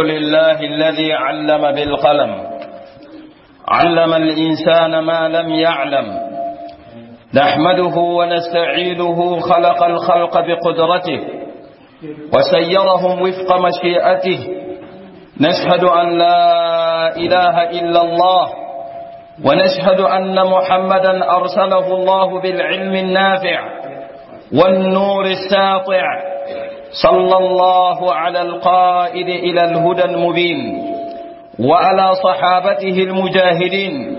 لله الذي علم بالقلم، علم الإنسان ما لم يعلم. نحمده ونستعينه، خلق الخلق بقدرته وسيرهم وفق مشيئته. نشهد أن لا إله إلا الله، ونشهد أن محمدا أرسله الله بالعلم النافع والنور الساطع، صلى الله على القائد إلى الهدى المبين، وعلى صحابته المجاهدين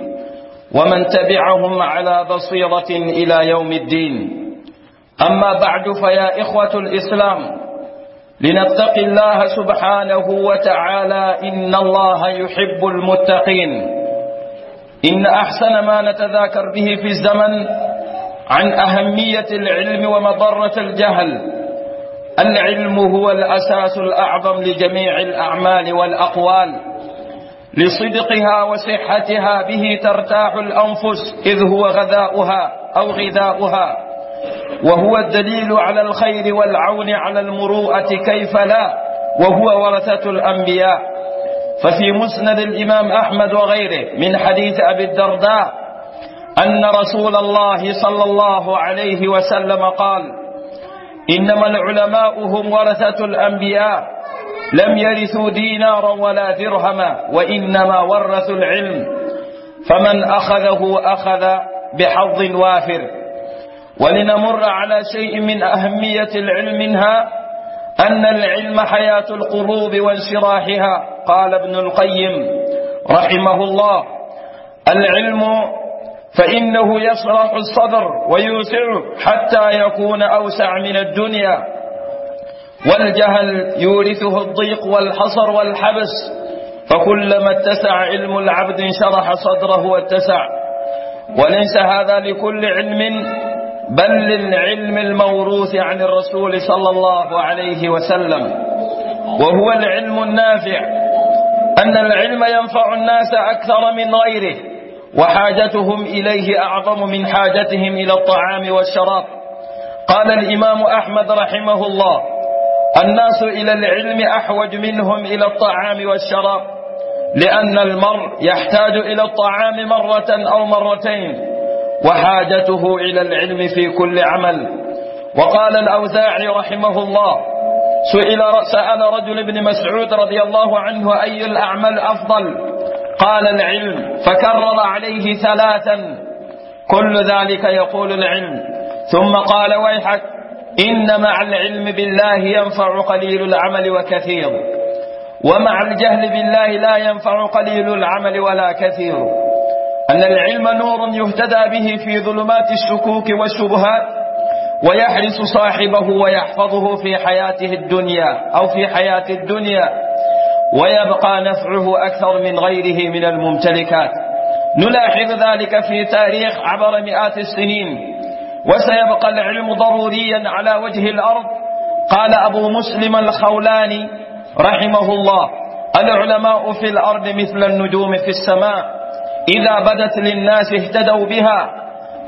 ومن تبعهم على بصيرة إلى يوم الدين. أما بعد، فيا إخوة الإسلام، لنتقي الله سبحانه وتعالى، إن الله يحب المتقين. إن أحسن ما نتذاكر به في الزمن عن أهمية العلم ومضرة الجهل. العلم هو الأساس الأعظم لجميع الأعمال والأقوال، لصدقها وصحتها، به ترتاح الأنفس، إذ هو غذاؤها أو غذاؤها، وهو الدليل على الخير والعون على المروءة، كيف لا وهو ورثة الأنبياء؟ ففي مسند الإمام أحمد وغيره من حديث أبي الدرداء أن رسول الله صلى الله عليه وسلم قال: إنما العلماء هم ورثة الأنبياء، لم يرثوا دينارا ولا درهما، وإنما ورثوا العلم، فمن أخذه أخذ بحظ وافر. ولنمر على شيء من أهمية العلم، منها أن العلم حياة القلوب وانشراحها. قال ابن القيم رحمه الله: العلم فإنه يشرح الصدر ويوسعه حتى يكون أوسع من الدنيا، والجهل يورثه الضيق والحصر والحبس، فكلما اتسع علم العبد انشرح صدره واتسع. وليس هذا لكل علم، بل للعلم الموروث عن الرسول صلى الله عليه وسلم، وهو العلم النافع. أن العلم ينفع الناس أكثر من غيره، وحاجتهم إليه أعظم من حاجتهم إلى الطعام والشراب. قال الإمام أحمد رحمه الله: الناس إلى العلم أحوج منهم إلى الطعام والشراب، لأن المرء يحتاج إلى الطعام مرة أو مرتين، وحاجته إلى العلم في كل عمل. وقال الأوزاعي رحمه الله: سأل رجل ابن مسعود رضي الله عنه: أي الأعمال أفضل؟ قال: العلم. فكرر عليه ثلاثا، كل ذلك يقول العلم. ثم قال: ويحك، إن مع العلم بالله ينفع قليل العمل وكثير، ومع الجهل بالله لا ينفع قليل العمل ولا كثير. أن العلم نور يهتدى به في ظلمات الشكوك والشبهات، ويحرس صاحبه ويحفظه في حياته الدنيا أو في حياة الدنيا، ويبقى نفعه أكثر من غيره من الممتلكات. نلاحظ ذلك في تاريخ عبر مئات السنين. وسيبقى العلم ضروريا على وجه الأرض. قال أبو مسلم الخولاني رحمه الله: العلماء في الأرض مثل النجوم في السماء، إذا بدت للناس اهتدوا بها،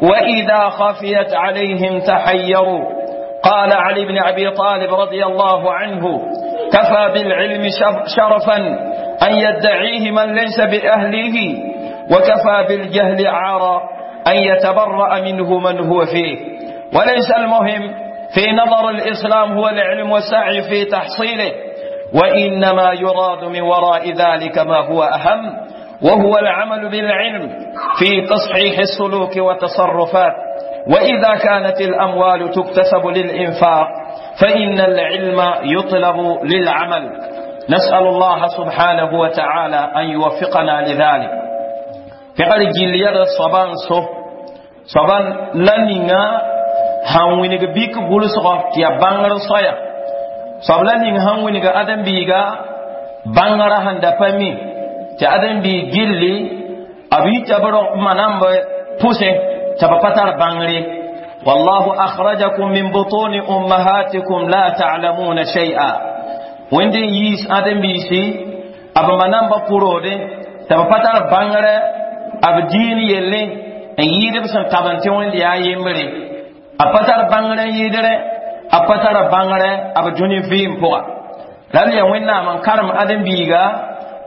وإذا خفيت عليهم تحيروا. قال علي بن أبي طالب رضي الله عنه: كفى بالعلم شرفا أن يدعيه من ليس بأهله، وكفى بالجهل عارا أن يتبرأ منه من هو فيه. وليس المهم في نظر الإسلام هو العلم والسعي في تحصيله، وإنما يراد من وراء ذلك ما هو أهم، وهو العمل بالعلم في تصحيح السلوك والتصرفات. وإذا كانت الأموال تكتسب للإنفاق، فإن العلم يطلب للعمل. نسأل الله سبحانه وتعالى أن يوفقنا لذلك. Pẽgr gill yɛd soaba n so soaba la ninga sãn wilg bik gʋlsgɔ tɩ yaa bãngr soaya, soab la ning sãn wilg ãdem-biiga bãngrã sẽn da pa mi tɩ ãdem-biig gilli b yita b manamb pʋsẽ tɩ b pa tar bãngre. والله أخرجكم من بطون أمهاتكم لا تعلمون شيئا. Wẽnd n yiis ãdem-biisi b manamba pʋroode tɩ b pa tar bãngrɛ b diin yelle n yɩɩd b sẽn tabn tɩ Wẽnd yaa yembre, a pa tar bãngrɛ n yɩɩdrẽ, a pa tar bãngrɛ b dũni vɩɩm pʋga. La ya wẽnnaam n karem ãdem-biiga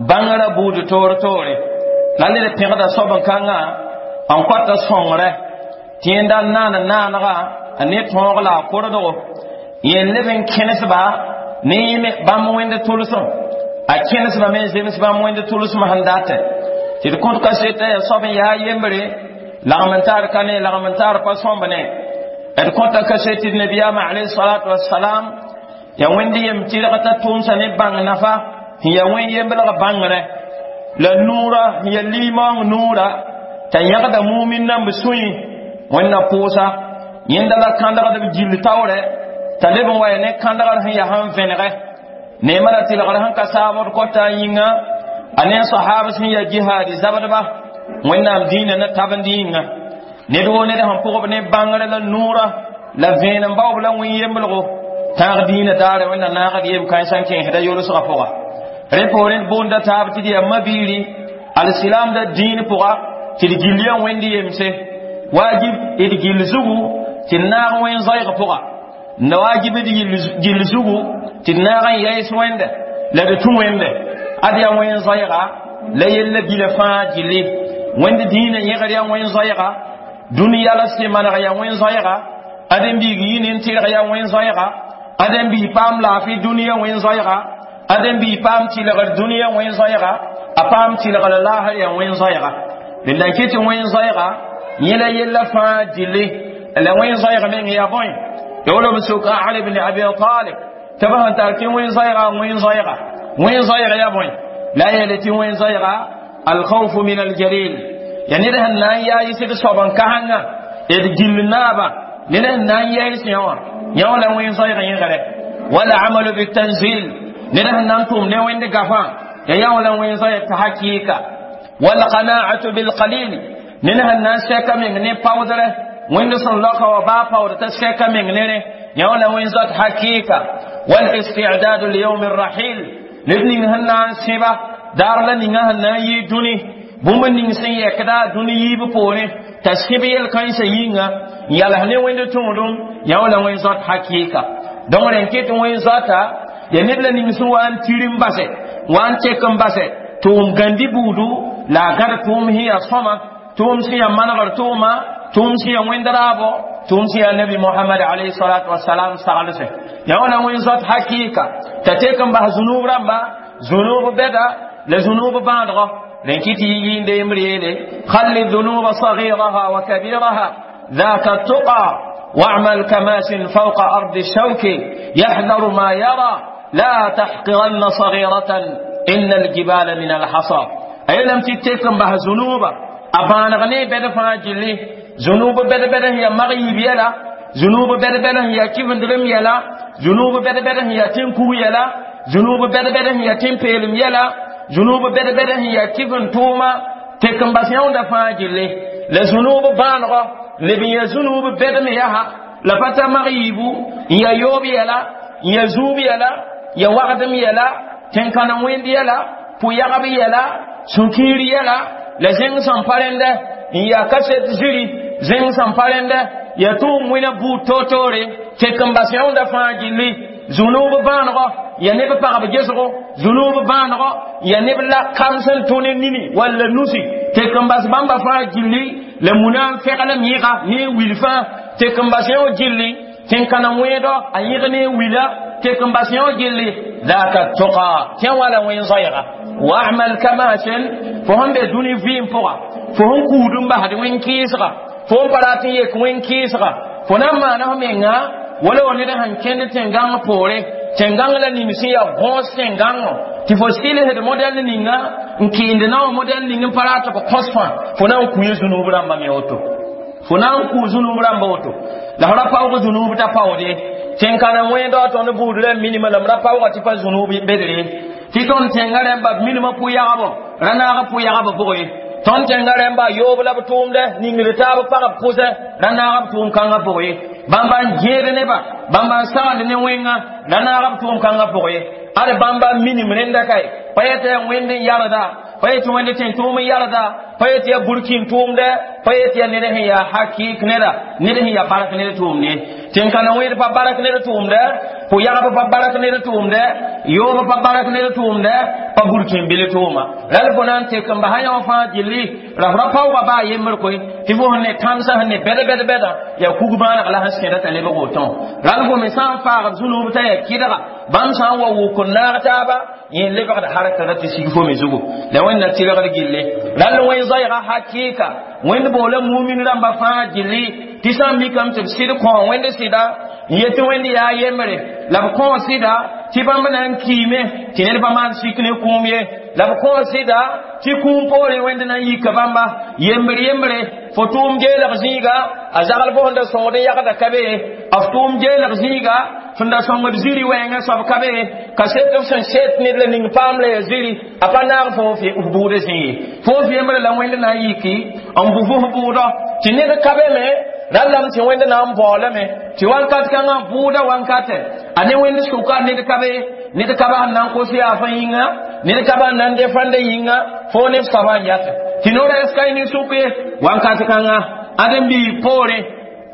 bãngrã buud toor toore. La ned pẽgda soab n kãngã n kõta sõngre tɩ yẽnda n naan naanega a ne tõog la a kordgo yẽ leb n kẽnesba ne yẽ bãmb wẽnd tʋlsem a kẽnesba me n zems bãmb wẽnd tʋlsem sẽn datẽ tɩ d kõt kaseta yaa soab n yaa yembre lagm n tar ka ne lagm n tar pa sõmb ne d kõta kaset tɩ d nabiyaamã alayhi salatu wassalam ya wẽnd yem tɩrg t'a tʋʋmsa ne bãng nafa sẽn ya wẽn yemblg bãngrẽ la nuurã sẽn ya limaoong nuurã t'a yãgda mumin namb sũyẽ wẽnna pʋʋsa yẽnda la kãndgd b gill taoorɛ t'a leb n wa ya ne kãndgr sẽn yaa sẽn vẽnegɛ neemã la tɩlgr sẽn ka saabd kɔta a yĩnga a ne sahab sẽn ya jihaadi zabdba wẽnnaam dĩinã na tabend yĩnga ned woo ned sẽn pʋgb ne bãngrẽ la nuurã la vẽenem baoob la wẽn yemblgo tãag dĩinã daare wẽnna naagd yem kãensã n kẽesda yolsgã pʋga rẽ poorẽ d boonda taab tɩ d yaa mabiiri alsilaamda dĩin pʋga tɩ d gill yaa wẽnd yemse wajib d gill zugu tɩ d naag wẽn zoeeg pʋga la wajib d gill zugu tɩ d naag n yaɩs wẽnde la d tũ wẽnde ad yaa wẽn zoeega la yella bila fãa gilli wẽnd dĩinã yẽgr yaa wẽn zoeega dũniyã la sẽ maneg yaa wẽn zoeega ãdem-biig yɩ nin-tɩrg yaa wẽn zoeega ãdem-biig paam laafɩ dũniyã wẽn zoeega ãdem-biig paam tɩlgr dũniyã wẽn zoeega a paam tɩlgr laasr yaa wẽn zoeega rẽnda n kɩ tɩ wẽn zoeega yẽ la yella fãa gilli la wẽn zoeeg meng yaa bõe ya b soka Ali ibn Abi Talib tɩ b sẽn tar tɩ wẽn zoeega wẽn zoeega wẽn zoeega yaa bõe la yeele tɩ wẽn zoeega alkhawfu min aljalil ya ned sẽn na n yaa yɩsd soab n kasengã d gill naaba ned sẽn na n yaɩs yã wã yã wã la wẽn zoeeg yẽgre wala amalu bitanzil ned sẽn na n tʋm ne wẽnd gafã ya yã wã la wẽn zoeeg t'a hakɩɩka walqana'atu bilqalil ned sẽn na n sɛka meng ne paoodrɛ wẽnd sẽn laoka wa baa paood t'a sɛka meng nere yã wã la wẽn zoat hakɩɩka والاستعداد ليوم الرحيل ned ning sẽn na n sẽba daar la ninga sẽn na n yɩ dũni bũmb ning sẽn yɛkda dũni yiib poorẽ t'a sẽb yel-kãensã yĩnga n yals ne wẽnd tõodem yã wã la wẽn zoat hakɩɩka donc rẽn kɩ tɩ wẽn zoata ya ned la ning sẽn wa n tir n basɛ wa n tek n basɛ tʋʋm gãndi buudu la a gãd tʋʋm sẽn yaa sõma tʋʋm sẽn yaa manegr tʋʋma tʋʋm sẽn yaa wẽnd raabo tʋʋm sẽn yaa nabi mohamad alayhi salatu wasalam saglsẽ yã wã la wẽn zoat hakɩɩka t'a tek n bas zunub rãmba zunub bɛda la zunub bãadgɔ rẽn kɩ tɩ yɩ yembr yeele خل الذنوب صغيرها وكبيرها ذاك التقى واعمل كماش فوق أرض الشوك يحذر ما يرى لا تحقرن صغيرة إن الجبال من الحصى أي لم تتكم به ذنوبا أبان غني بد فاجلي ذنوب بد بد هي مغيب يلا ذنوب بد بد هي كيف ندرم يلا ذنوب بد بد هي تنكو يلا ذنوب بد بد هي تنبيلم يلا ذنوب بد بد هي كيف نتوما تكم بس يوم دفاجلي لذنوب بانغ لبي ذنوب بد ميها لفتا مغيبو يا يوب يلا يا زوب يلا يا وغدم يلا tẽn-kãna wẽnd yɛla pʋ-yagb yɛla sũ-kiir yɛla la zẽng sẽn pa rẽndɛ n yaa kaset ziri zẽng sẽn pa rẽndɛ yaa tʋʋm wẽna buud toor-toore tek n bas yãoonda fãa gilli zũnuub bãanegɔ ya neb pagb gesgo zũnuub bãanegɔ ya neb la kam sẽn tũ ne nini walla nusi tek n bas bãmba fãa gilli la muna n feglem yẽga ne wil fãa tek n bas yão gilli tẽn-kãna wẽedɔ a yẽg ne wila tek n bas yão gilli ذاك التقى كان ولا وين صيغة واعمل كماشن فهم بدوني فيم فوق فهم كودم بعد وين كيسغا فهم براتي يك وين كيسغا فنما نهم ينغا wala wani da han kende tengang pore tengang la nimsi ya gos tengang ti fo sile he model ninga nkinde na model ninga parata ko kosfa fo na ku yesu no bra mi oto fo na ku zunu bra woto la hora pawo zunu ta pawo de tẽn-kãna wẽndã tõnd buud rãmb minimã la m ra paoogã tɩ pa zũnub bedre tɩ tõnd tẽngã rãmba minimã pʋ-yagbo ra naag pʋ-yagb pʋgẽ ye tõnd tẽngã rãmba yoob la b tʋʋmdɛ ningd taab pagb pʋsɛ ra naag b tʋʋm kãngã pʋgẽ ye bãmba n gẽed neba bãmba n sagend ne wẽnga ra naag b tʋʋm kãngã pʋgẽ ye ad bãmba minim rẽnda kae pa yetɩ yaa wẽnd n yarda pa yetɩ wẽnd tẽn tʋʋm n yarda pa yetɩ yaa burkin tʋʋmdɛ pa yetɩ yaa ned sẽn yaa hakik neda ned sẽn yaa bark ned tʋʋmde tɩ Tẽn-kãna wẽed pa barak ned tʋʋmdɛ, pʋ-yagb pa barak ned tʋʋmdɛ, yoob pa barak ned tʋʋmdɛ, pa burkĩn-bil tʋʋma. Rãl fo na n tek n basa yã fãa gilli, ra f ra paooga baa yembr koe, tɩ fo sẽn ne tãmsã sẽn ne bɛd-bɛd-bɛdã yaa kug bãaneg la sẽn kẽda t'a lebg woto. Rãl fo me sã n faagd zũnub t'a yaa kɩdga, bãmb sã n wa wʋk n naag taaba, yẽ lebgd harkra tɩ sig fo me zugu. La Wẽnna tɩlgd gilli. Rãl wẽn zoɛɛga hakɩɩka, Wẽnd boola mumin rãmba fãa gilli, tɩ sã n mikame tɩ b sɩd kõ Wẽnd sɩda n yetɩ Wẽnd yaa yembre, la b kõ sɩda tɩ bãmb na n kiime tɩ ned pa maan sik ne kũum ye, la b kõ sɩda tɩ kũum poorẽ Wẽnd na n yika bãmba yembre yembre. Fo tʋʋm geelg zĩiga, a zagl fo sẽn da sõngd n yagda ka be, f tʋʋm geelg zĩiga sẽn da sõngd zĩri wɛɛngã soab ka be, ka set f sẽn set ned la ning paam la ya zĩri, a pa naag fo f bʋʋdã zĩ ye. Fo f yembre la Wẽnd na n yiki n bʋ fo f bʋʋdɔ tɩ ned ka be me. Rãllame tɩ Wẽnd na n baoolame tɩ wakat kãngã bʋʋda wankatɛ a ne Wẽnd sʋka ned ka be, ned ka ba sẽn na n kos yaafã yĩnga, ned ka ba n na n defãnda yĩnga, fo ne f soabã n yatɛ tɩ no-rɛɛs ka ne sʋk ye. Wakat kãngã ãdem-biig poorẽ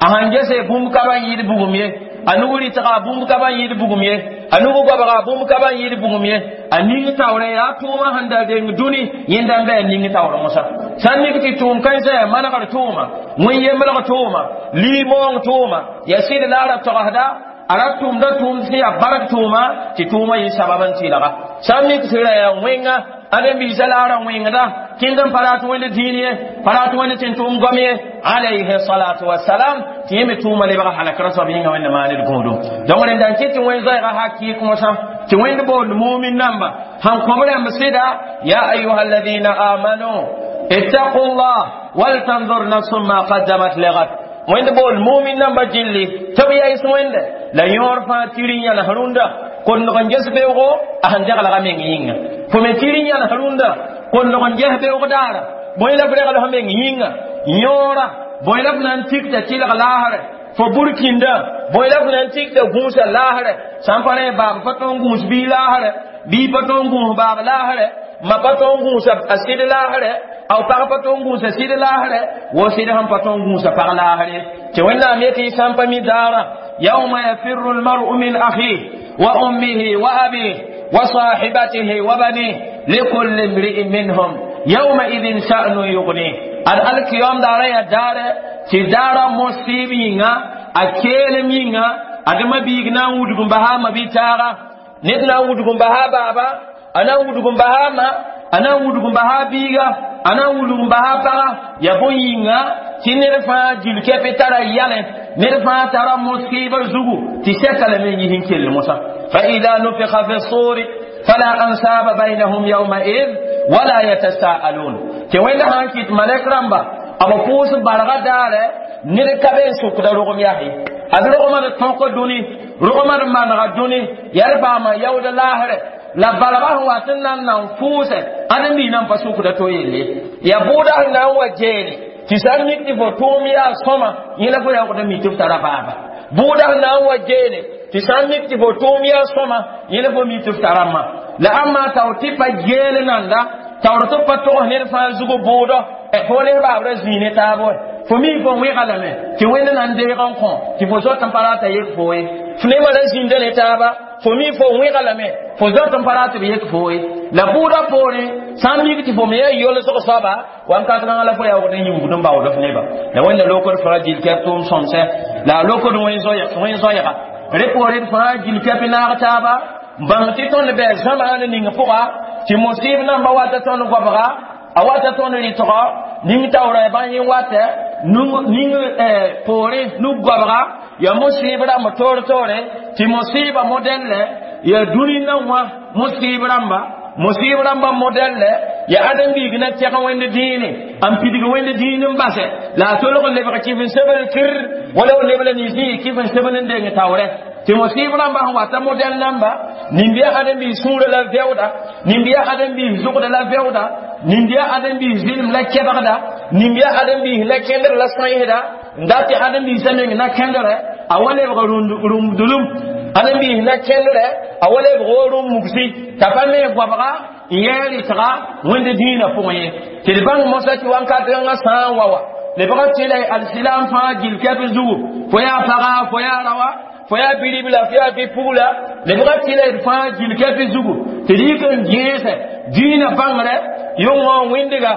a sãn gese bũmb ka ba n yɩɩd bugum ye, a nug rɩtga bũmb ka ba n yɩɩd bugum ye, a nug goabga bũmb ka ba n yɩɩd bugum ye, a ning taoorẽ yaa tʋʋmã sẽn da deng dũni yẽnda n bɩ a ning taoor mosã. Sã n mik tɩ tʋʋm kãensã yaa manegr tʋʋma, wẽn-yemblg tʋʋma, lii-moong tʋʋma, yaa sɩd la a ra togsda, a ra tʋmda tʋʋmd sẽn yaa bark tʋʋma, tɩ tʋʋmã yɩ sabab n tɩlga. Sã n mik tɩ ra yaa wẽnga, ãdem-biisã la a ra wẽngda kẽnd n pa rat Wẽnd dĩin ye, pa rat Wẽnd tɩ n tʋʋm goam ye, alayhi salatu wasalam, tɩ yẽ me tʋʋma lebg halakra soab yĩnga Wẽnd maaned gũudum. Donc rẽnda n kɩt tɩ wẽn zoɛɛga hakɩɩk mosã tɩ Wẽnd boond mumin namba sãn kõb rãmb sɩda: ya ayuha alladina amanu ittaqu llah waltanzur nafsun ma qaddamat ligad. Wẽnd boond mumin namba gilli tɩ b yaɩs Wẽnde la yõor fãa tiri n yãls rũndã kondg n ges beoogo a sẽn deglga meng yĩnga. Fo me tiri n yãls rũndã kondg n ges beoog daara, bõe la f regl f meng yĩnga yõora, bõe la f na n tikta tɩlg laasrɛ fo burkĩndã, bõe la f na n tikta gũusa laasrɛ. Sã n pa rẽ baab pa tõe n gũus bii laasrɛ, bii pa tõe n gũus baab laasrɛ, ma pa tõe n gũusa a sɩd laasrɛ, a pag pa tõe n gũusa sɩd laasrɛ, wo sɩd sẽn pa tõe n gũusa pag laasrɛ. Tɩ Wẽnnaam yetɩ sã n pa mi daara: yauma yafirru lmaru min akhih wa ummihi wa abih wa sahibatihi wa banih likulli imri'in minhum yawma idhin sha'nu yughnih. Ad alkiyom daara ya daare tɩ daara mosɩɩb yĩnga, a keelem yĩnga, adema biig na n wudg n basa a ma-bi-taaga, ned na n wudg n basa a baaba, a na n wudg n basa a ma, a na n wudg n basa a biiga, a na n wudg n basa a paga. Ya bõe yĩnga tɩ ned fãa gil kɛpɩ tara yalẽ, ned fãa tara mosɩɩbã zugu tɩ sɛka lame n yis n kell mosã. فإذا نفخ في الصور فلا أنساب بينهم يومئذ ولا يتساءلون. Tɩ Wẽnd sãn kɩt malɛk rãmba b pʋʋs barga daare, ned ka be n sʋkda rogem yaa ye. Ad rogmã d tõk dũni, rogmã d manega dũni, yaa d paama yaood laasrɛ la barga sẽn wat n na n nan fʋʋsɛ ãdem-biis nan pa sʋkda to yelle. Yaa bʋʋda sẽn na n wa geele tɩ sã n mik tɩ fo tʋʋm yaa sõma, yẽ la fo yaoogd n mi tɩ f tara baaba. Bʋʋda sẽn na n wa geele tɩ sã n mik tɩ fo tʋʋm yaa sõma, yẽ la fo mi tɩ f tara ma. La ãmba taoor tɩ pa geele nanda, taoor tɩ pa togs ned fãa zugu bʋʋdɔ, fo ne baabra zĩig ne taab wɛ. Fo mi fo wẽga lame tɩ Wẽnd na n deeg n kõ tɩ fo zoet n pa rata yek fo ye. F ne ra zĩnda ne taaba, fo mi fo wẽga lame fo zoet n pa rat b yek fo ye. La bʋʋda poorẽ sã n mik tɩ fo me yaa yolsg soaba, wakat kãngã la fo yaoogd n yiubd n baood f neba. La Wẽnda lokd fãa gil kɛp tʋʋm sõmsɛ, la a lokd wẽn zoɛɛga rẽ poorẽ d fãa gil kɛp naag taaba n bãng tɩ tõnd bɩ zãmaan ning pʋga tɩ mosɩɩb namba wata tõnd goabga, a wata tõnd rɩtgɔ ning taoora bãn yẽ watɛ ning poorẽ nug goabga ya mosɩɩb rãmb toor-toore tɩ mosɩɩbã modɛllɛ ya dũni nan wã mosɩɩb rãmba, mosɩɩb rãmbã modɛllɛ ya ãdem-biig na tɛg Wẽnd dĩine n pidg Wẽnd dĩin n basɛ la a tolg n lebg kɩf n sebl kir wala b lebla nins yɩ kɩf n sebl n deng taoorɛ tɩ mosɩɩb rãmbã sẽn wata modɛl namba nin-biya ãdem-biis sũurã la vɛooda, nin-biya ãdem-biis zʋgda la vɛooda, nin-biya ãdem-biis zɩlem la kɛbgda, nin-biya ãdem-biis la kẽndr la sõɩsda n dat tɩ ãdem-biisã meng na kẽndrɛ a wa lebg rũmdulum, ãdem-biis na kẽndrɛ a wa lebg wo rũm mugsi t'a pa me goabga n yɛɛ rɩtga Wẽnd dĩinã pʋgẽ ye. Tɩ d bãng mosã tɩ wakat kãngã sã n wa wa Lebga tɩla alsilam fãa gil kɛp zugu, fo yaa paga, fo yaa raoã, fo yaa bi-ribla, fo yaa bi-pugla, lebga tɩla d fãa gil kɛp zugu tɩ d yik n gẽesɛ dĩinã bãngrɛ yʋngã wẽndga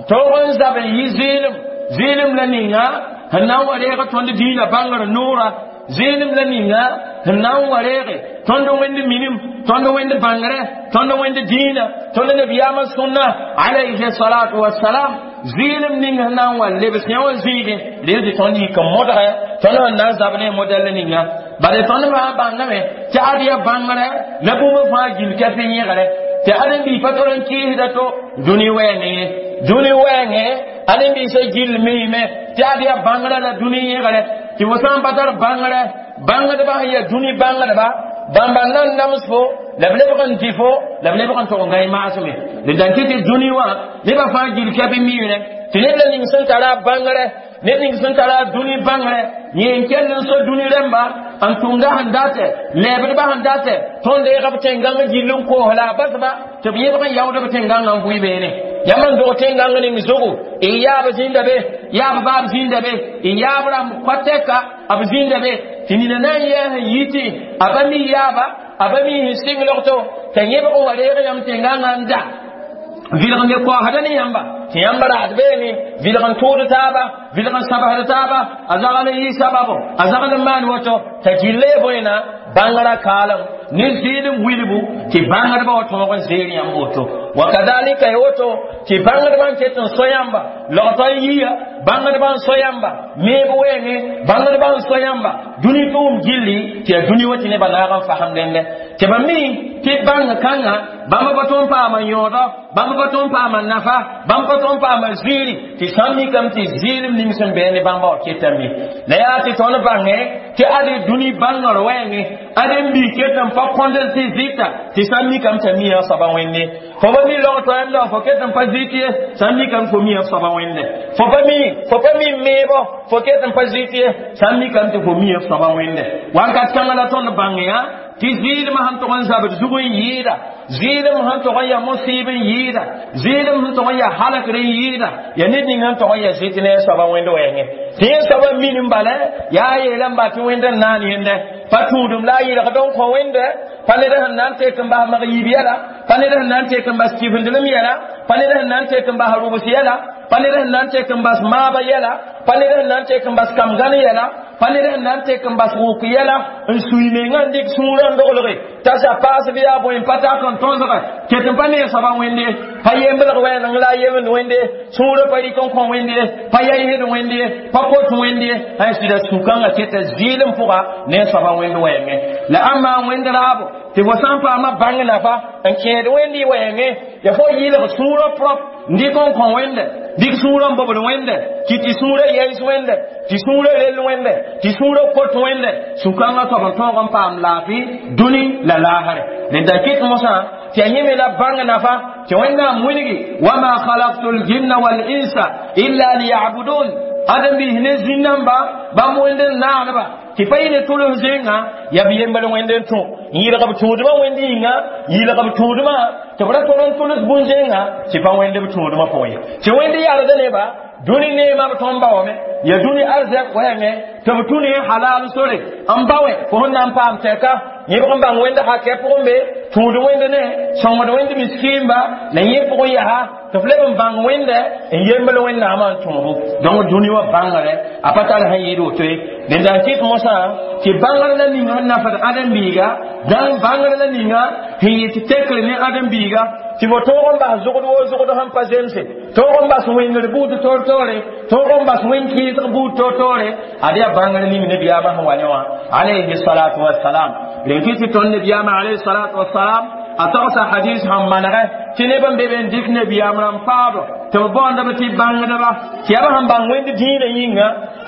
taoog n zab n yɩ zɩɩlem. Zɩɩlem la ninga sẽn na n wa reeg tõnd dĩinã bãngr noora, zɩɩlem la ninga sẽn na n wa reege tõnd wẽnd minim, tõnd wẽnd bãngrɛ, tõnd wẽnd dĩinã, tõnd nabiyaamã sũnna alayhi salatu wassalam. Zɩɩlem ning sẽn na n wa lebs yã wã zĩigẽ rel tɩ tõnd yik n modgɛ tõnd sẽn na n zab ne modɛl ninga. Bala tõnd fãa bãngame tɩ ad ya bãngrɛ la bũmb fãa gil kɛf n yẽgre tɩ ãdem-biig pa tol n kɩɩsda to dũni wɛɛngẽ ye. Dũni wɛɛngẽ ãdem-biisã gill miime tɩ ad ya bãngrã la dũni yẽgre, tɩ fo sã n pa tar bãngrɛ, bãngdbã sẽn ya dũni bãngdba bãmba n na n nams fo la b lebg n dɩ fo la b lebg n tog n gãe maasme. D dãn kɩ tɩ dũni wã nebã fãa gil kɛp miirẽ tɩ ned la ning sẽn tara a bãngrɛ, ned ning sẽn tara a dũni bãngrɛ, yẽ n kell n so dũni rãmba n tʋmda sẽn datɛ, lɛɛbdbã sẽn datɛ, tõnd deega b tẽn-gãng gill n koos la a basba tɩ b yẽbg n yaood b tẽn-gãngã n vʋɩ beene. Yãmb n dog tẽn-gãng ning zugu, y yaab zĩnda be, yaab baab zĩnda be, y yaab rãmb koa-tɛka b zĩnda be, tɩ nina na n yɛɛs n yitɩ a pa mi yaaba, a pa mi sẽn sɩng logto, t'a yẽbg n wa reeg yãmb tẽn-gãngã n da vɩlg n be koasda ne yãmba, tɩ yãmb raad beene vɩlg n tʋʋd taaba, vɩlg n sabsd taaba, a zagl n yɩ sababo, a zagl n maan woto, t'a gilla ya bõena bãngrã kaalem ne zɩɩlem wilbu tɩ bãngdbã wa tõog n zeer yãmb woto. Wakadalika ya woto tɩ bãngdbã n ket n so yãmba logtɔ n yiya, bãngdbã n so yãmba meeb wɛɛngẽ, bãngdbã n so yãmba dũni tʋʋm gilli tɩ yaa dũni wa tɩ nebã naag n fasem dẽndɛ, tɩ ba mi tɩ bãng kãngã bãmb pa tõe n paama yõodɔ, bãmb pa tõe n paama nafa, bãmb pa tõe n paama ziiri, tɩ sã n mikame tɩ zɩɩlem ning sẽn bɛɛ ne bãmba wa ketame. La yaa tɩ tõnd bãngẽ tɩ ad dũni bãngr wɛɛngẽ ãdem bii ket n pa kõnd tɩ zɩta, tɩ sã n mikame t'a mi a soaba wẽnde. Fo pa mi log toɛɛmda, fo ket n pa zɩt ye, sã n mikame fo mi a soaba wẽnde. Fo pa mi, fo pa mi meebo, fo ket n pa zɩt ye, sã n mikame tɩ fo mi a soaba wẽnde. Wakat kãngã la tõnd bãngẽ yã tɩ zɩɩlem sẽn tog n zabd zug n yɩɩda, zɩɩlem sẽn tog n ya mosɩɩb n yɩɩda, zɩɩlem sẽn tog n ya halkr n yɩɩda, ya ned ning sẽn tog n ya zɩt ne a soaba wẽnd wɛɛngẽ, tɩ yẽ soaba minim bala yaa yeela n ba tɩ wẽnd n naan yẽnde pa tũudum la a yɩlgd n kõ wẽnde, pa ned sẽn na n tek n bas mag yiib yɛla, pa ned sẽn na n tek n bas kifendlem yɛla, pa ned sẽn na n tek n bas rʋbs yɛla, pa ned sẽn na n tek n bas maabã yɛla, pa ned sẽn na n tek n bas kam-gãn yɛla, pa ned sẽn na n tek n bas wʋk yɛla n sui mengã n dɩk sũurã n doglge t'a sa paas bɩ yaa bõe n pa tak n tõsge ket n pa ne soaba wẽnde, pa yemblg wɛɛneng la a yemd wẽnde, sũurã pa rɩk n kõ wẽnde, pa yaisd wẽnde, pa kot wẽnde, sã sɩda sũ-kãngã keta zɩɩlem pʋga ne soaba wẽnd wɛɛngẽ. La ãmba wẽnd raabo tɩ fo sã n paama bãng nafa n kẽed wẽnd y wɛɛngẽ, ya fo yɩlg sũurã prop n dɩk n kõ wẽnde, dɩk sũurã n bobd wẽnde, tɩ tɩ sũurã yɛs wẽnde, tɩ sũurã rell wẽnde, tɩ sũurã kot wẽnde, sũ-kãngã soab n tõog n paam laafɩ dũni la laasre. Rẽnda kɩt mosã tɩ a yẽme la bãng nafa tɩ Wẽnnaam wilgi wama khalaqtu ljinna walinsa illa liyabudun, ãdem-biis ne zĩn-namba bãmb wẽnd n naanba tɩ pa yɩ ne tʋls zẽnga yaa b yembl wẽnd n tũ n yɩlg b tũudmã wẽnd yĩnga, yɩlg b tũudmã tɩ b ra tol n tʋls bũn-zẽnga tɩ pa wẽnd b tũudmã pʋgẽ ye, tɩ wẽnd yalda neba dũni neemã b tõnd baoome ya dũni arzɛk wɛɛngẽ tɩ b tũ ne halal sore n baoẽ fo sẽn na n paam tɛka yẽbg n bãng wẽnd hakɛ pʋgẽ be tũud wẽnd ne sõngd wẽnd miskiimba la yẽ pʋgẽ yaa tɩ f leb n bãng wẽnde n yembl Wẽnnaamã n tõobo. Donc dũni wã bãngre a pa tar sẽn yɩɩd woto ye. Dẽnda n kɩt mosã tɩ bãngr la ninga sẽn nafd ãdem-biiga, dãn bãngr la ninga sẽn yɩ tɩ tekr ne ãdem-biiga tɩ fo tõog n bas zʋgd wo zʋgd sẽn pa zemse, tõog n bas wẽngr buud toor-toore, tõog n bas wẽn-kɩɩsg buud toor-toore. Ad yaa bãngr ning nebiyaamã sẽn wa ne wã alayhi salatu wassalam. Rẽn kɩ tɩ tõnd nebiyaamã alayhi salatu wassalam a togsa hadis sẽn manegɛ tɩ neb n be be n dɩk nebiyaam rãmb paado tɩ b baoondb tɩ bãngdba, tɩ yaa b sẽn bãng wẽnd dĩinã yĩnga,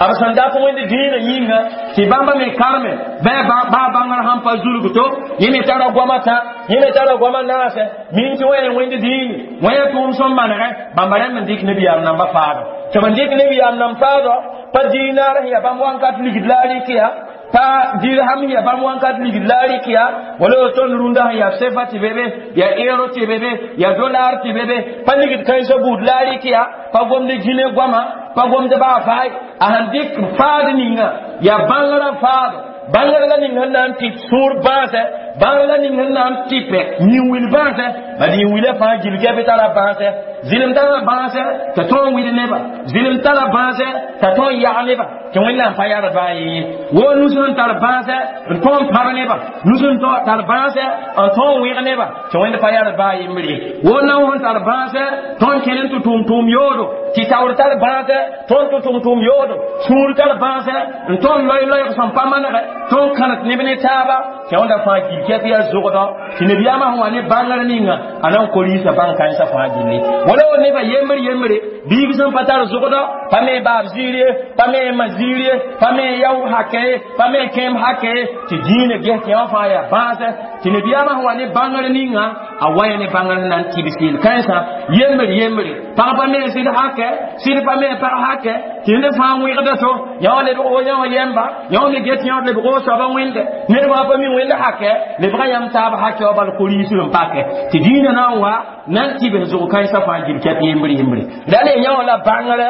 b sẽn dat wẽnd dĩinã yĩnga, tɩ bãmba me karme baa bãngr sãn pa zulg to yẽ me tara goamã tã, yẽ me tara goamã naasɛ min tɩ wẽ wẽnd dĩini wẽ tʋʋm sẽn manegɛ bãmba rẽmb n dɩk nebiyaam namba paado, tɩ b n dɩk nebiyaam nam paado pa dinaar sẽn yaa bãmb wãnkat ligd la a rɩk ya. Pa dirham ya bãmb wãnkat ligd la a rɩk ya wala tõnd rũndã sẽn yaa sefa tɩ be be ya euro tɩ be be ya dolar tɩ be be pa ligd kãensã buud la a rɩk ya pa gomd gine goama pa gomd baa faay a sẽn dɩk faad ninga ya bãngrã faado bãngr la ning sẽn na n tɩp sũur bãasɛ bãngr la ning sẽn na n tɩpɛ yĩn-wil bãasɛ bad yĩn-wilã fãa gil kɛpɩ tara bãasɛ zɩlem tara bãasɛ t'a tõog n wid neba zɩlem tara bãasɛ t'a tõog n yag neba tɩ wẽnnaam pa yard baa yẽ woo nus sẽn tar bãasɛ n tõog n pãb neba nus sẽn tar bãasɛ n tõog n wẽg neba tɩ wẽnd pa yard baa yembre woo nao sẽn tar bãasɛ tõnd kẽn n tɩ tʋʋm tʋʋm yoodo tɩ taoor tar bãasɛ tõnd tɩ tʋm tʋʋm yoodo sũur tar bãasɛ n tõnd loy-loɛɛg sẽn pa manegɛ tõnd kãnet neb ne taaba tɩ wẽnda fãa gil kɛp yaa zogdɔ tɩ nabiyaamã sẽn wa ne bãngr ninga a na n ko-riisã bãng kãensã fãa gilli wala wa neba yembr yembre biig sẽn pa tar zogdɔ pa me baab ziir ye pa me ma ziir ye pa me yao hakɛ ye pa me kẽem hakɛ ye tɩ dĩinã ges tɩ wã fãa yaa bãasɛ tɩ nabiyaamã sẽn wa ne bãngr ninga a wa ya ne bãngr na n tɩbs yel kãensã yembre yembre pag pa me sɩd hakɛ sɩd pa me pag hakɛ tɩ ned fãa wẽgda to yã lebg o yã wã yɛmba yã me get yã lebg o soaba wẽnde ned fãa pa mi wẽnd hakɛ lebga yãmb taab hakɛ wa bal ko-riisd n pakɛ tɩ dĩinã na n wa na n tɩbs zʋg kãensã fãa gil kɛp yembre yembre la le yã wã la bãngrɛ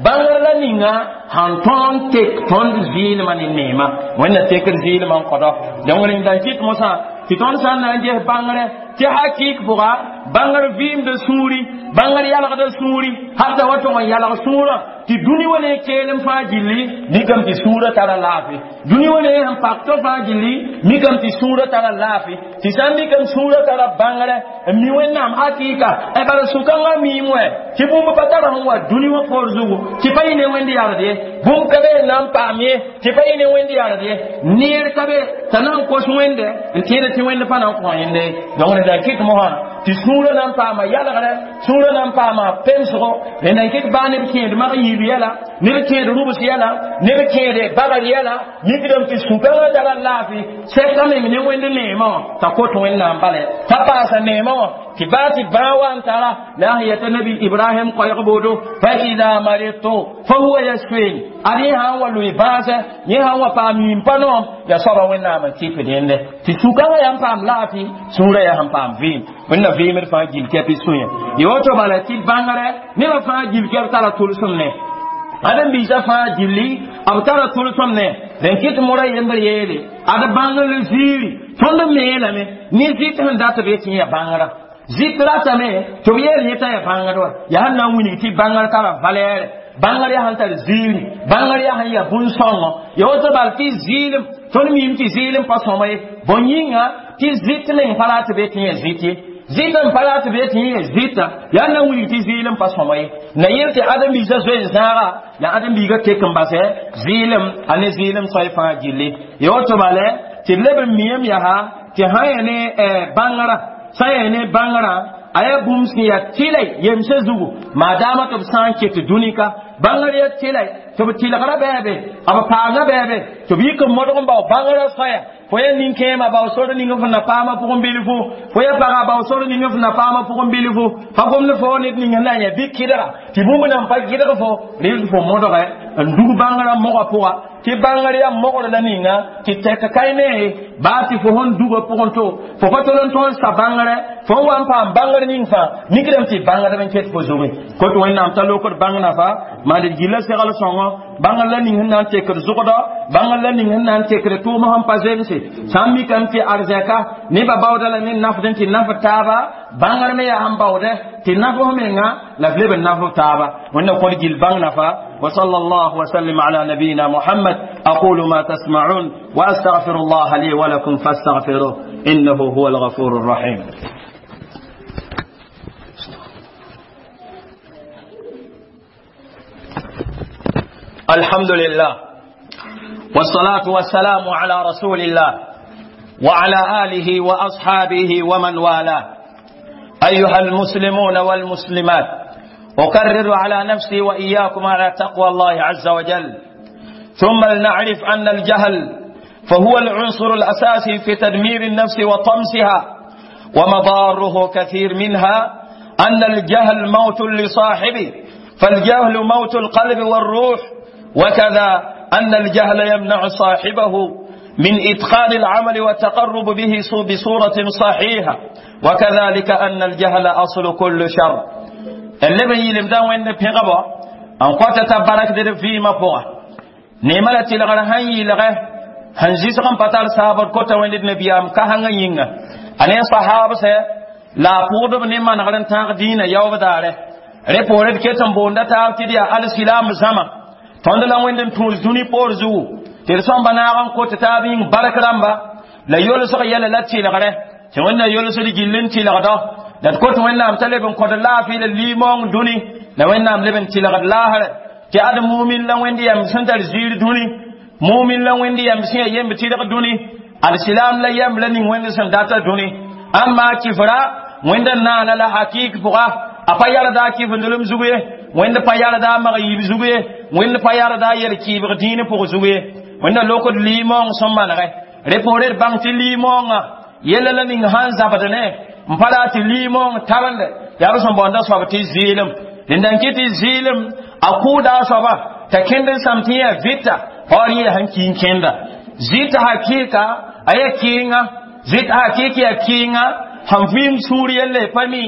bãngr la ninga sãn tõog n tek tõnd zɩɩlmã ne neema wẽnna tekd zɩɩlmã n kõdɔ donc rẽnd n kɩt mosã tɩ tõnd sã n na n ges bãngrɛ tɩ hakɩɩk pʋga bãngr vɩɩmda sũuri bãngr yalgda sũuri hal t'a wa tog n yalg sũurã tɩ dũni wa ne keelem fãa gilli mikame tɩ sũurã tara laafɩ dũni wa ne sẽn pak to fãa gilli mikame tɩ sũurã tara laafɩ tɩ sã n mikame sũurã tara bãngrɛ n mi wẽnnaam hakɩɩka bala sũ-kãngã miim wɛ tɩ bũmb pa tara sẽn wa dũni wã poor zugu tɩ pa yɩ ne wẽnd yard ye bũmb ka be n na n paam ye tɩ pa yɩ ne wẽnd yard ye neer ka be t'a na n kos wẽnde n tẽed tɩ wẽnd pa na n kõ yẽnde donc rẽnd n kɩt mosã tɩ sũurã na n paama yalgrɛ sũurã na n paama pemsgo rẽnd n kɩt baa neb kẽed mag yiib yɛla neb kẽed rubs yɛla neb kẽed bagr yɛla mikdame tɩ sũ-kãngã tara laafɩ sɛka meng ne wẽnd neemã wã t'a kot wẽnnaam bala t'a paasa neemã wã tɩ baa tɩ bãa wa n tara la sẽn yeta nabi ibrahim koɛɛg boodo fa ida maridtu fa huwa yasfin ad yẽ sã n wa loe bãasɛ yẽ sã n wa paam yĩm pa noom yaa soaba wẽnnaam n tɩpd yẽnde tɩ sũ-kãngã yaa n paam laafɩ sũurã yaa sẽn paam vɩɩm wẽnna vɩɩmd fãa gil kɛp sũyã yã woto bala tɩ bãngrɛ nebã fãa gil kɛp tara tʋlsem ne ãdem-biisã fãa gilli b tara tʋlsem ne rẽn kɩt mora yembr yeele ad bãngr ziiri tõnd meelame ne zɩt sẽn dat b yetɩ yaa bãngrã zɩt ratame tɩ b yeel yẽ t'a yaa bãngr wa yaa sẽn na n wilg tɩ bãngr tara valɛɛrɛ bãngr yaa sẽn tar ziiri bãngr yaa sẽn yaa bũn-sõngo ya woto bal tɩ zɩɩlem tõnd miime tɩ zɩɩlem pa sõma ye bõn yĩnga tɩ zɩt meng pa rat be tɩ yẽ zɩt ye zɩt n pa rat be tɩ yẽ zɩta yaa na n wilg tɩ zɩɩlem pa sõma ye na yel tɩ ãdem-biisã zoe n zãaga la ãdem-biigã tek n basɛ zɩɩlem a ne zɩɩlem soay fãa gilli ya woto bala tɩ b leb n miame yaa tɩ sã yẽ ne bãngrã sã yẽ ne bãngrã a yaa bũmb sẽn yaa tɩlɛ yemsã zugu maadaama tɩ b sã n ket dũni ka bãngr yaa tɩlɛ tɩ b tɩlgrã bɛɛbe b paanga bɛɛbe tɩ b yik n modg n bao bãngrã soaya fo yaa nin-kẽemã bao sor ning f na paamã pʋgẽ bilfu fo yaa pagã bao sor ning f na paamã pʋgẽ bilfu pa gomd fo ned ning na n yaa bɩ kɩdga tɩ bũmb nan pa gɩdg fo rɩl fo modgɛ n dug bãngrã mogã pʋga tɩ bãngr yaa mogr la ninga tɩ tɛk kae ne baa tɩ fo sẽn dugã pʋgẽ to fo pa tol n tõnd sa bãngrɛ fo n wa n paam bãngr ning fãa mikdame tɩ bãngdb n ket fo zoe kot wẽnnaam t'a lokd bãng nafa maand d gilla segl sõngo bãngr la ning sẽn na n tekd zʋgdɔ bãngr la ning sẽn na n tekd tʋʋm sẽn pa zemse sã n mikame tɩ arzɛka nebã baooda lame n nafd n tɩ nafd taaba bãngr me yaa sẽn baoodɛ tɩ naf f menga la b leb n naf f taaba wẽnna kõd gil bãng nafa وصلى الله وسلم على نبينا محمد أقول ما تسمعون وأستغفر الله لي ولكم فاستغفروه إنه هو الغفور الرحيم. الحمد لله والصلاة والسلام على رسول الله وعلى آله وأصحابه ومن والاه. أيها المسلمون والمسلمات، أكرر على نفسي وإياكم على تقوى الله عز وجل. ثم لنعرف أن الجهل فهو العنصر الأساسي في تدمير النفس وطمسها، ومضاره كثير، منها أن الجهل موت لصاحبه، فالجهل موت القلب والروح، وكذا أن الجهل يمنع صاحبه من إتقان العمل والتقرب به بصورة صحيحة، وكذلك أن الجهل أصل كل شر. اللي بيلم دا وين بيغبا أن قوة تبارك در في ما فوق نيمالة تلغر هاي لغه هنزيس غم بطال صحابة كوتا وين النبي أم كهنغ ينغ أنا صحابة سي لا پودب نيما نغرن تاغ دين يوم داره ريپورت كتن بوندا تاب تديا الاسلام زما tõnd la wẽnd n tũus dũni poor zugu tɩ d sõmba naag n kot taab yĩng bark rãmba la yolsg yɛla la tɩlgre tɩ wẽnna yolsd gill n tɩlgdɔ la d kot wẽnnaam t'a leb n kõd laafɩ la limaoong dũni la wẽnnaam leb n tɩlgd laasrɛ tɩ ad mumin la wẽnd yɛm sẽn tar ziir dũni mumin la wẽnd yɛm sẽn yaa yemb tɩlg dũni alsilam la yɛm la ning wẽnd sẽn data dũni amma kifra wẽnd n naana la hakik pʋga a pa yarda a kifendelem zugu ye wẽnd pa yarda a mag yiib zugu ye wẽnd pa yarda a yel kɩɩbg dĩin pʋg zugu ye wẽnda lokd limaoong sẽn manegɛ rẽ poore d bãng tɩ limaoongã yella la ning sãn zabd ne n pa raa tɩ limaoong tabende yaa b sẽn baoonda soab tɩ zɩɩlem dẽnda n kɩ tɩ zɩɩlem a kʋʋda a soaba t'a kẽnd n sãm tɩ yã vɩta paoor yẽ sẽn ki n kẽnda zɩta hakɩɩka a yaa kɩɩnga zɩt hakɩɩk yaa kɩɩnga sãn vɩɩm sũur yelle pa mi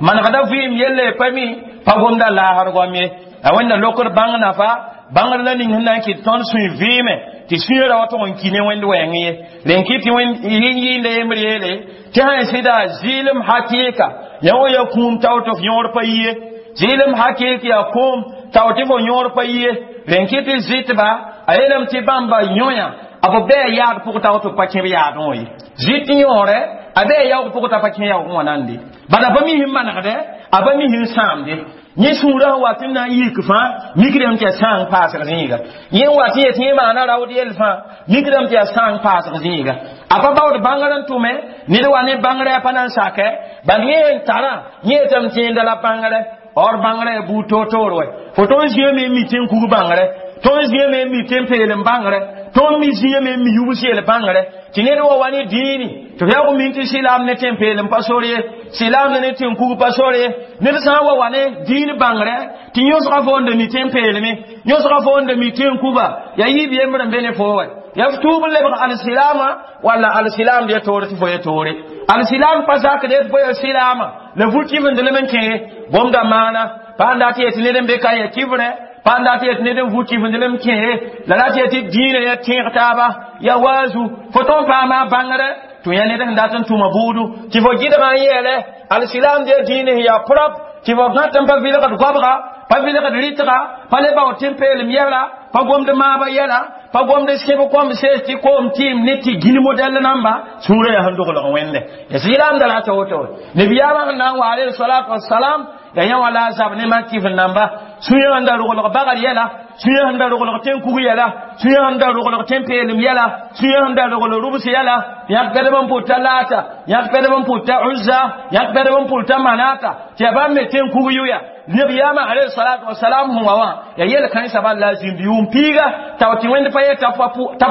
manegda vɩɩm yelle pa mi pa gomda laasr goam ye a wẽnda lokd bãng nafa bãngr la ning sẽn na n kɩt tõnd sũy vɩɩme tɩ sũyã wa tʋg n ki ne wẽnd wɛɛng ye rẽn kɩ tɩ yẽ yɩɩnda yembr yeele tɩ sã n sɩda zɩɩlem hakɩɩka yã wa ya kũum tao tɩ f yõor pa yi ye zɩɩlem hakɩɩk yaa kũum tao tɩ fo yõor pa yi ye rẽn kɩ tɩ zɩtba a yeelame tɩ bãmba yõya a b bɩ a yaad pʋg tao tɩ b pa kẽb yaadẽ wã ye zɩt yõore a bɩ a yaoog pʋg t'a pa kẽ yaoogẽ wã nande bala a pa mi sẽn manegdɛ a pa mi sẽn sãamde yẽ sũurã sẽn wat n na n yik fãa mikdame tɩ yaa sãang paasg zĩiga yẽ n wat n yet yẽ maana raood yell fãa mikdame tɩ yaa sãang paasg zĩiga a pa baood bãngr n tʋme ned wa ne bãngrɛ a pa na n sakɛ bal yẽ sẽn tarã yẽ yetame tɩ yẽnda la bãngrɛ or bãngrɛ yaa buud toor-toor wɛ fo tõnd zĩame n mi tẽn kug bãngrɛ tõnd zĩame n mi tẽn peelem bãngrɛ tõnd mi zĩame n mi yubs yel bãngrɛ tɩ ned wa wa ne dĩini tɩ f yaoog min tɩ sɩlaam ne tẽn peelem pa sor ye sɩlaam ne tẽn kug pa sor ye ned sã n wa wa ne dĩin bãngrɛ tɩ yõsga foonde mi tẽn peelme yõsga foonde mi tẽn kuba yaa yiib yembr n be ne fo wɛ ya f tʋʋb n lebg alsilaamã walla alsilaam ya toore tɩ fo ya toore alsilaam pa zakd tɩ fo ya silaamã la vut kɩfendlem n kẽ gomda maana pa n dat yetɩ ned n be ka ya kɩfrɛ pa n dat yetɩ ned n vut kɩfendlem kẽ la rat yetɩ dĩinã ya tẽeg taaba ya waazu fo tõnd paama a bãngrɛ tɩ yã ned sẽn dat n tʋma buudu tɩ fo gɩdgã n yeele alsilaam ya dĩinã sẽn yaa prop tɩ fo gãt n pa vɩlgd goabga pa vɩlgd rɩtga pa le bao tẽn peelem yɛla pa gomd maaba yɛla pa gomd sẽb kõm sees tɩ koom tɩɩm ne tɩ gĩn modɛl namba sũurã yaa sẽn doglg wẽnde ya sɩlaamda rata woto nebiyaamã sẽn na n wa alayhi salatu wasalam ya yã wã la a zab ne mak kɩf namba sũyã sẽn da roglg bagr yɛla sũyã sẽn da roglg tẽn kug yɛla sũyã sẽn da roglg tẽn peelem yɛla sũyã sẽn da roglg rubs yɛla yãk pɛdb n pʋta laata yãk pɛdb n pʋta uzza yãk pɛdb n pʋta manata tɩ yaa bãmb me tẽn kug yʋya nebiyaamã alayhi salatu wasalam sẽn wa wã yaa yel kãensã bal la a zĩnd yʋʋm piiga tao tɩ wẽnd pa ye t'a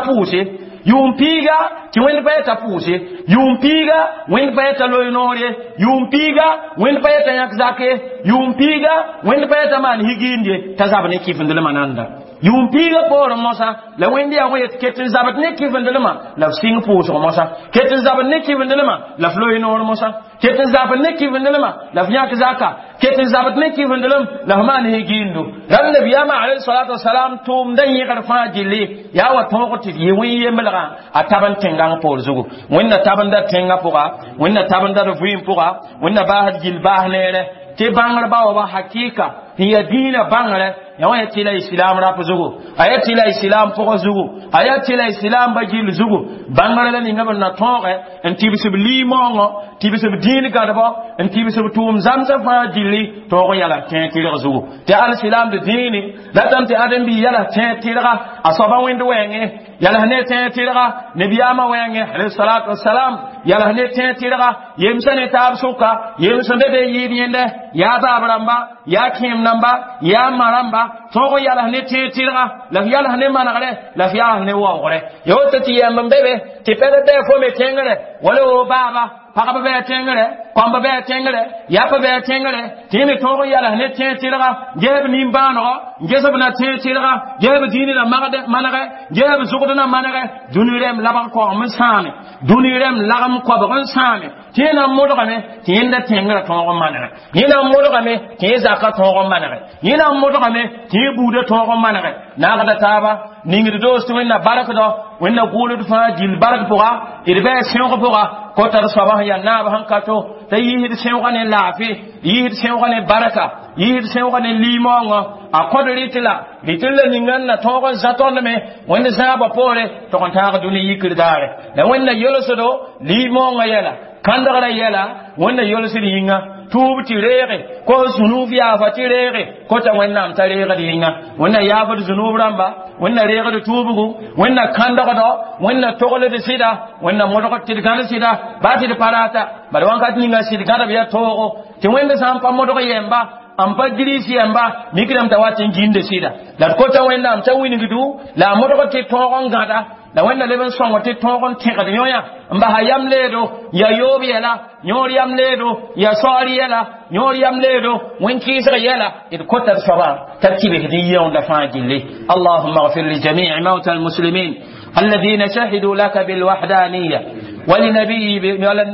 pʋʋse yʋʋm piiga tɩ wẽnd pa yeta pʋʋse yʋʋm piiga wẽnd pa yeta loy noor ye yʋʋm piiga wẽnd pa yeta yãk zak ye yʋʋm piiga wẽnd pa yeta maan higiind ye t'a zab ne kɩfendlmã nanda yʋʋm piiga poorẽ mosã la wẽnd yaa yet ket n zabd ne kɩfendlmã la f sɩng pʋʋsg mosã ket n zabd ne kɩfendlmã la f loy noor mosã ket n zabd ne kɩfendlmã la f yãk zaka ket n zabd ne kɩfendlem la f maan higiindu rãmb nabiyaamã alayhi salatu wasalam tʋʋmda yẽgr fãa gilli yaa wa tõog tɩ yɩ wẽn yemblgã a tab n tẽngãng poor zugu wẽnna tabenda tẽngã pʋga wẽnna tabenda d vɩɩm pʋga wẽnna baasd gill baas neere tɩ bãngr ba wa ba hakɩɩka n yaa dĩinã bãngrɛ ya wã ya tɩ la islam rap zugu a ya tɩ la islam pʋgã zugu a ya tɩ la islam ba gill zugu bãngrã la ninga b na tõoge n tɩbs b limaoongõ tɩbs b dĩin gãdbɔ n tɩbs b tʋʋm zãmsã fãa gilli tõog n yala tẽeg tɩrg zugu tɩ alsilam d dĩini datame tɩ ãdem-bi yala tẽeg tɩrga a soaba wẽnd wɛɛngẽ yala ne tẽeg tɩrga nebiyaamã wɛɛngẽ alayhi salatu wasalam yala ne tẽeg tɩrga yemsã ne taab sʋka yemsã be be yɩɩd yẽndɛ yaa baab rãmba yaa kẽem namba yaa ma rãmba tõog n yals ne tẽeg tɩrga la f yals ne manegre la f yals ne waoogre ya woto tɩ yɛmb n be be tɩ pɛd bɩ fo me tẽngre wala wo baaba pagb bɩ tẽngre kãmba bɩ a tẽngre yapa bɩ a tẽngre tɩ yẽ me tõog n yals ne tẽeg tɩlga ges b nimbãanegɔ ges b na tẽeg tɩlga ges b dĩini na manegɛ ges b zʋgd na manegɛ dũni rɛm labg koagem n sãame dũni rɛm lagem koabg n sãame tɩ yẽ na n modgame tɩ yẽnda tẽngrã tõog n manegɛ yẽ na n modgame tɩ yẽ zakã tõog n manegɛ yẽ na n modgame tɩ yẽ buudã tõog n manegɛ naagda taaba ningd doos tɩ wẽnna barkdɔ wẽnna gʋʋld fãa gill bark pʋga d bɩ a sẽog pʋga kota d soaba sẽn yaa naab sẽn ka to t'a yiisd sẽoogã ne laafɩ yiisd sẽoogã ne barka yiisd sẽoogã ne limaoongã a kõd rɩt la rɩt la ninga n na tõog n zã tõnd me wẽnd zãabã poore tɩg n tãag dũni yikr daare la wẽnna yelsdo limaoongã yɛla kãndgrã yɛla wẽnna yelsd yĩnga tuub tɩ reege ko zũnuub yaafa tɩ reege kota wẽnnaam t'a reegd yĩnga wẽnna yaafd zũnuub rãmba wẽnna reegd tuubgu wẽnna kãndgdɔ wẽnna togld sɩda wẽnna modgd tɩ d gãd sɩda baa tɩ d pa rata bala wãnkat ninga sɩd gãdb yaa toogo tɩ wẽnd sã n pa modg yɛmba n pa gris yɛmba mikdame t'a wat n gĩnde sɩda la d kota wẽnnaam t'a wingdu la a modg tɩ tõog n gãda la wẽnna leb n sõng tɩ tõog n tẽgd yõ-yã n basa yam leedo ya yoob yɛla yõor yam leedo ya saoor yɛla yõor yam leedo wẽn-kɩɩsg yɛla d kota d soaba t'a tɩbsd n yẽonda fãa gilli اللهم اغفر لجميع موتى المسلمين الذين شهدوا لك بالوحدانية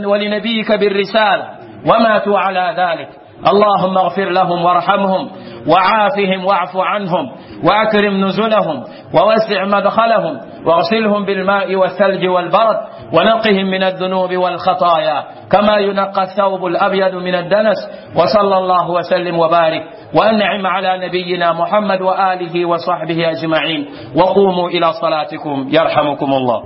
ولنبيك بالرسالة وماتوا على ذلك اللهم اغفر لهم وارحمهم وعافهم واعف عنهم واكرم نزلهم ووسع مدخلهم واغسلهم بالماء والثلج والبرد ونقهم من الذنوب والخطايا كما ينقى الثوب الابيض من الدنس وصلى الله وسلم وبارك وانعم على نبينا محمد واله وصحبه اجمعين وقوموا الى صلاتكم يرحمكم الله.